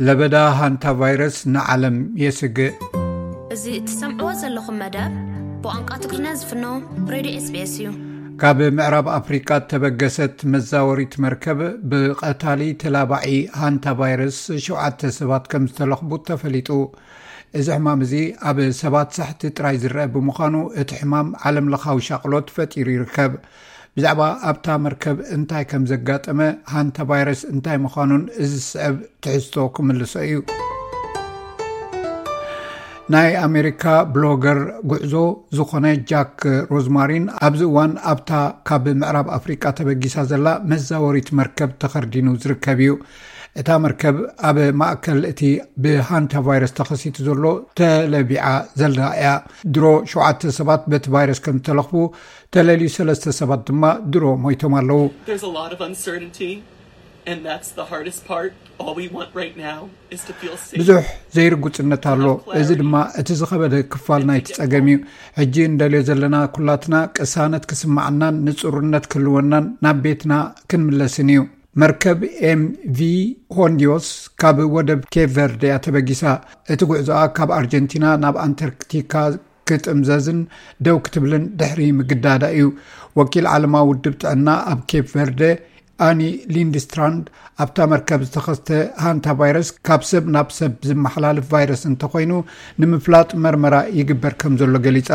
ለበዳ ሃንታ ቫይረስ ንዓለም የስግእ። እዚ እትሰምዕዎ ዘለኹም መደብ ብቋንቋ ትግርኛ ዝፍኖ ሬድዮ ኤስቢኤስ እዩ። ካብ ምዕራብ ኣፍሪቃ እተበገሰት መዛወሪት መርከብ ብቐታሊ ተላባዒ ሃንታ ቫይረስ ሸውዓተ ሰባት ከም ዝተለኽቡ ተፈሊጡ። እዚ ሕማም እዚ ኣብ ሰባት ሳሕቲ ጥራይ ዝረአ ብምዃኑ፣ እቲ ሕማም ዓለም ለኻዊ ሻቕሎት ፈጢሩ ይርከብ። ብዛዕባ ኣብታ መርከብ እንታይ ከም ዘጋጠመ፣ ሃንታ ቫይረስ እንታይ ምዃኑን እዚ ዝስዕብ ትሕዝቶ ክምልሶ እዩ። ናይ ኣሜሪካ ብሎገር ጉዕዞ ዝኾነ ጃክ ሮዝማሪን ኣብዚ እዋን ኣብታ ካብ ምዕራብ ኣፍሪቃ ተበጊሳ ዘላ መዛወሪት መርከብ ተኸርዲኑ ዝርከብ እዩ። እታ መርከብ ኣብ ማእከል እቲ ብሃንታ ቫይረስ ተኸሲቱ ዘሎ ተለቢዓ ዘላ እያ። ድሮ ሸውዓተ ሰባት በቲ ቫይረስ ከም ዝተለኽፉ፣ ተለልዩ ሰለስተ ሰባት ድማ ድሮ ሞይቶም ኣለዉ። There's a lot of uncertainty, and that's the hardest part. All we want right now is to feel safe. ብዙሕ ዘይርጉጽነት ኣሎ። እዚ ድማ እቲ ዝኸበደ ክፋል ናይቲ ጸገም እዩ። ሕጂ እንደልዮ ዘለና ኩላትና ቅሳነት ክስማዓናን ንጹርነት ክህልወናን ናብ ቤትና ክንምለስን እዩ። መርከብ ኤምቪ ሆንዲዮስ ካብ ወደብ ኬፕ ቨርደ እያ ተበጊሳ። እቲ ጉዕዞኣ ካብ ኣርጀንቲና ናብ ኣንታርክቲካ ክጥምዘዝን ደው ክትብልን ድሕሪ ምግዳዳ እዩ። ወኪል ዓለማዊ ውድብ ጥዕና ኣብ ኬፕ ቨርደ ኣኒ ሊንድስትራንድ፣ ኣብታ መርከብ ዝተኸስተ ሃንታ ቫይረስ ካብ ሰብ ናብ ሰብ ዝመሓላልፍ ቫይረስ እንተኾይኑ ንምፍላጥ መርመራ ይግበር ከም ዘሎ ገሊጻ።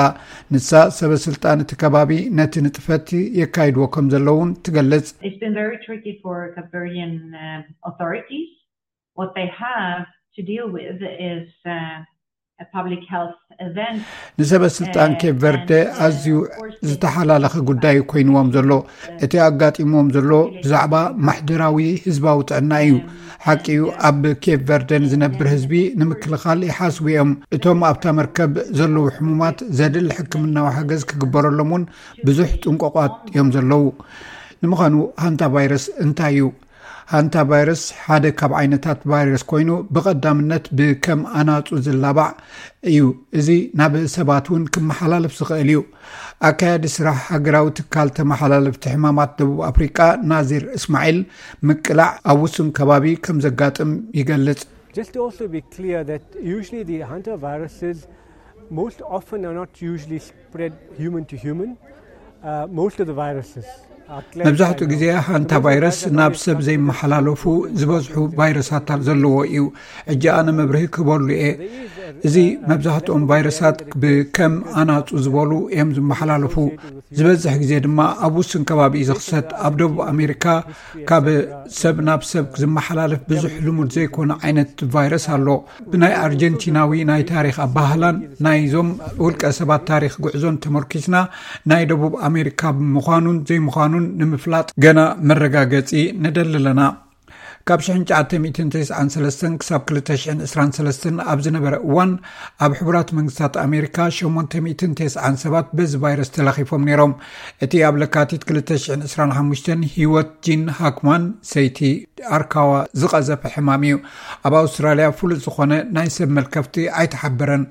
ንሳ፣ ሰበ ስልጣን እቲ ከባቢ ነቲ ንጥፈት የካይድዎ ከም ዘለውን ትገልጽ። It's been very tricky for Cape Verdean um, authorities. What they have to deal with is uh, a public health event. ንሰበ ስልጣን ኬፕ ቨርደ ኣዝዩ ዝተሓላለኸ ጉዳይ ኮይንዎም ዘሎ። እቲ ኣጋጢምዎም ዘሎ ብዛዕባ ማሕደራዊ ህዝባዊ ጥዕና እዩ። ሓቂ እዩ፣ ኣብ ኬፕ ቨርደ ንዝነብር ህዝቢ ንምክልኻል ይሓስቡ እዮም። እቶም ኣብታ መርከብ ዘለዉ ሕሙማት ዘድሊ ሕክምናዊ ሓገዝ ክግበረሎም እውን ብዙሕ ጥንቆቋት እዮም ዘለዉ። ንምዃኑ ሃንታ ቫይረስ እንታይ እዩ? ሃንታ ቫይረስ ሓደ ካብ ዓይነታት ቫይረስ ኮይኑ፣ ብቐዳምነት ብከም ኣናጹ ዝላባዕ እዩ። እዚ ናብ ሰባት እውን ክመሓላለፍ ዝኽእል እዩ። ኣካያዲ ስራሕ ሃገራዊ ትካል ተመሓላለፍቲ ሕማማት ደቡብ ኣፍሪቃ ናዚር እስማዒል፣ ምቅላዕ ኣብ ውሱን ከባቢ ከም ዘጋጥም ይገልጽ። Just to also be clear that usually the hantavirus most often are not usually spread human to human. Uh, most of the viruses are መብዛሕትኡ ግዜ ሃንታ ቫይረስ ናብ ሰብ ዘይመሓላለፉ ዝበዝሑ ቫይረሳት ዘለዎ እዩ። ሕጂ ኣነ መብርሂ ክበሉ እየ። እዚ መብዛሕትኦም ቫይረሳት ብከም ኣናጹ ዝበሉ እዮም ዝመሓላለፉ። ዝበዝሕ ግዜ ድማ ኣብ ውሱን ከባቢ እዩ ዝኽሰት። ኣብ ደቡብ ኣሜሪካ ካብ ሰብ ናብ ሰብ ዝመሓላለፍ ብዙሕ ልሙድ ዘይኮነ ዓይነት ቫይረስ ኣሎ። ብናይ ኣርጀንቲናዊ ናይ ታሪኽ ኣባህላን ናይዞም ውልቀ ሰባት ታሪኽ ጉዕዞን ተመርኪስና፣ ናይ ደቡብ ኣሜሪካ ምዃኑን ዘይምዃኑን ንምፍላጥ ገና መረጋገጺ ንደሊ ኣለና። ካብ ሽሕን ትሽዓተ ሚእትን ተስዓን ሰለስተን ክሳብ ክልተ ሽሕን ዕስራን ሰለስተን ኣብ ዝነበረ እዋን፣ ኣብ ሕቡራት መንግስታት ኣሜሪካ ሸሞንተ ሚእትን ተስዓን ሰባት በዚ ቫይረስ ተለኺፎም ነይሮም። እቲ ኣብ ለካቲት ክልተ ሽሕን ዕስራን ሓሙሽተን ህይወት ጂን ሃክማን፣ ሰይቲ ኣርካዋ፣ ዝቐዘፈ ሕማም እዩ። ኣብ ኣውስትራልያ ፍሉጥ ዝኾነ ናይ ሰብ መልከፍቲ ኣይተሓበረን።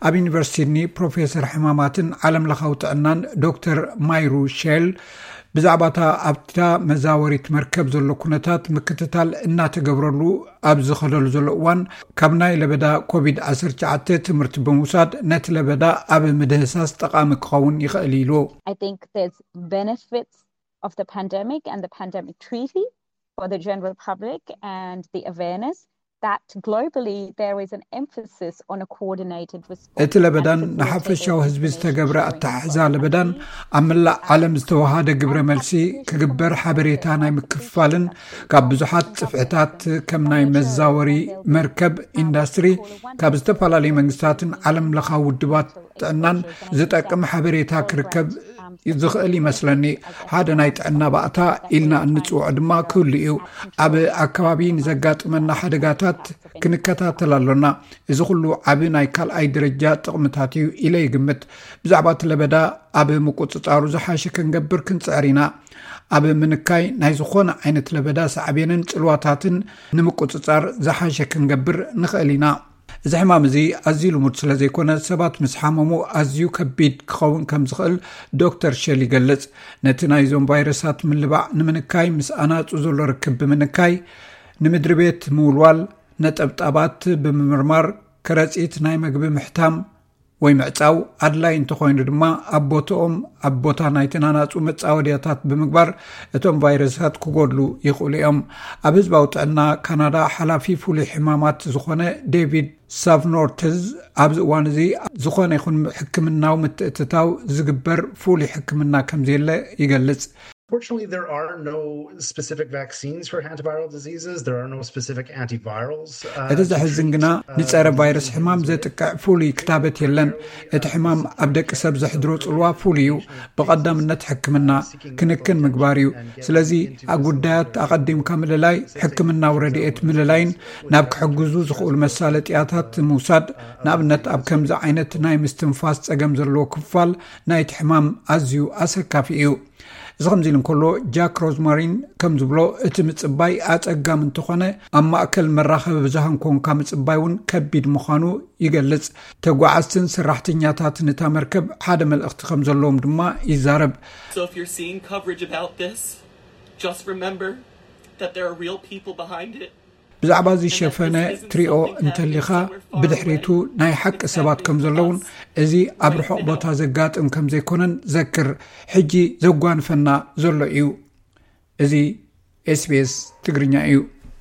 ኣብ ዩኒቨርሲቲ ሲድኒ ፕሮፌሰር ሕማማትን ዓለም ለኻዊ ጥዕናን ዶክተር ማይሩ ሼል፣ ብዛዕባታ ኣብታ መዛወሪት መርከብ ዘሎ ኩነታት ምክትታል እናተገብረሉ ኣብ ዝኸደሉ ዘሎ እዋን፣ ካብ ናይ ለበዳ ኮቪድ ዓሰርተ ትሽዓተ ትምህርቲ ብምውሳድ ነቲ ለበዳ ኣብ ምድህሳስ ጠቓሚ ክኸውን ይኽእል ኢሉ። I think there's benefits of the pandemic and the pandemic treaty for the general public and the awareness that globally there is an emphasis on a coordinated response. እቲ ለበዳን ንሓፈሻዊ ህዝቢ ዝተገብረ ኣተሓሕዛ ለበዳን ኣብ መላእ ዓለም ዝተወሃደ ግብረ መልሲ ክግበር ሓበሬታ ናይ ምክፍፋልን ካብ ብዙሓት ጽፍዕታት ከም ናይ መዛወሪ መርከብ ኢንዳስትሪ ካብ ዝተፈላለዩ መንግስታትን ዓለም ለኻዊ ውድባት ጥዕናን ዝጠቅም ሓበሬታ ክርከብ ዝኽእል ይመስለኒ። ሓደ ናይ ጥዕና ባእታ ኢልና እንጽውዖ ድማ ክህሉ እዩ። ኣብ ኣከባቢ ንዘጋጥመና ሓደጋታት ክንከታተል ኣሎና። እዚ ኩሉ ዓቢ ናይ ካልኣይ ደረጃ ጥቕምታት እዩ ኢለ ይግምት። ብዛዕባ እቲ ለበዳ ኣብ ምቁጽጻሩ ዝሓሸ ክንገብር ክንጽዕር ኢና። ኣብ ምንካይ ናይ ዝኾነ ዓይነት ለበዳ ሳዕቤንን ጽልዋታትን ንምቁጽጻር ዝሓሸ ክንገብር ንኽእል ኢና። እዚ ሕማም እዚ ኣዝዩ ልሙድ ስለ ዘይኮነ፣ ሰባት ምስ ሓመሙ ኣዝዩ ከቢድ ክኸውን ከም ዝኽእል ዶክተር ሸል ይገልጽ። ነቲ ናይዞም ቫይረሳት ምልባዕ ንምንካይ፣ ምስ ኣናጹ ዘሎ ርክብ ብምንካይ፣ ንምድሪ ቤት ምውልዋል፣ ነጠብጣባት ብምምርማር፣ ከረጺት ናይ መግቢ ምሕታም ወይ ምዕጻው፣ ኣድላይ እንተኾይኑ ድማ ኣብ ቦታኦም፣ ኣብ ቦታ ናይቲ ናናጹ መጻወድያታት ብምግባር እቶም ቫይረሳት ክጎድሉ ይኽእሉ እዮም። ኣብ ህዝባዊ ጥዕና ካናዳ ሓላፊ ፍሉይ ሕማማት ዝኾነ ዴቪድ ሳቭኖርትዝ፣ ኣብዚ እዋን እዚ ዝኾነ ይኹን ሕክምናዊ ምትእትታው ዝግበር ፍሉይ ሕክምና ከም ዘየለ ይገልጽ። Fortunately, there are no specific vaccines for antiviral diseases. There are no specific antivirals. እቲ ዘሕዝን ግና፣ ንጸረ ቫይረስ ሕማም ዘጥቅዕ ፍሉይ ክታበት የለን። እቲ ሕማም ኣብ ደቂ ሰብ ዘሕድሮ ጽልዋ ፍሉይ እዩ። ብቐዳምነት ሕክምና፣ ክንክን ምግባር እዩ። ስለዚ ኣብ ጉዳያት ኣቐዲምካ ምልላይ፣ ሕክምናዊ ረድኤት ምልላይን ናብ ክሕግዙ ዝኽእሉ መሳለጥያታት ምውሳድ፣ ንኣብነት ኣብ ከምዚ ዓይነት ናይ ምስትንፋስ ጸገም ዘለዎ ክፋል ናይቲ ሕማም ኣዝዩ ኣሰካፊ እዩ። እዚ ከምዚ ኢሉ እንከሎ፣ ጃክ ሮዝማሪን ከም ዝብሎ፣ እቲ ምጽባይ ኣጸጋሚ እንተኾነ፣ ኣብ ማእከል መራኸቢ ብዙሃን ኮንካ ምጽባይ እውን ከቢድ ምዃኑ ይገልጽ። ተጓዓዝትን ሰራሕተኛታትን እታ መርከብ ሓደ መልእኽቲ ከም ዘለዎም ድማ ይዛረብ። So if you're seeing coverage about this, just remember that there are real people behind it. ብዛዕባ እዚ ሸፈነ ትሪኦ እንተሊኻ፣ ብድሕሪቱ ናይ ሓቂ ሰባት ከም ዘለውን፣ እዚ ኣብ ርሑቕ ቦታ ዘጋጥም ከም ዘይኮነን ዘክር። ሕጂ ዘጓንፈና ዘሎ እዩ። እዚ ኤስቢኤስ ትግርኛ እዩ።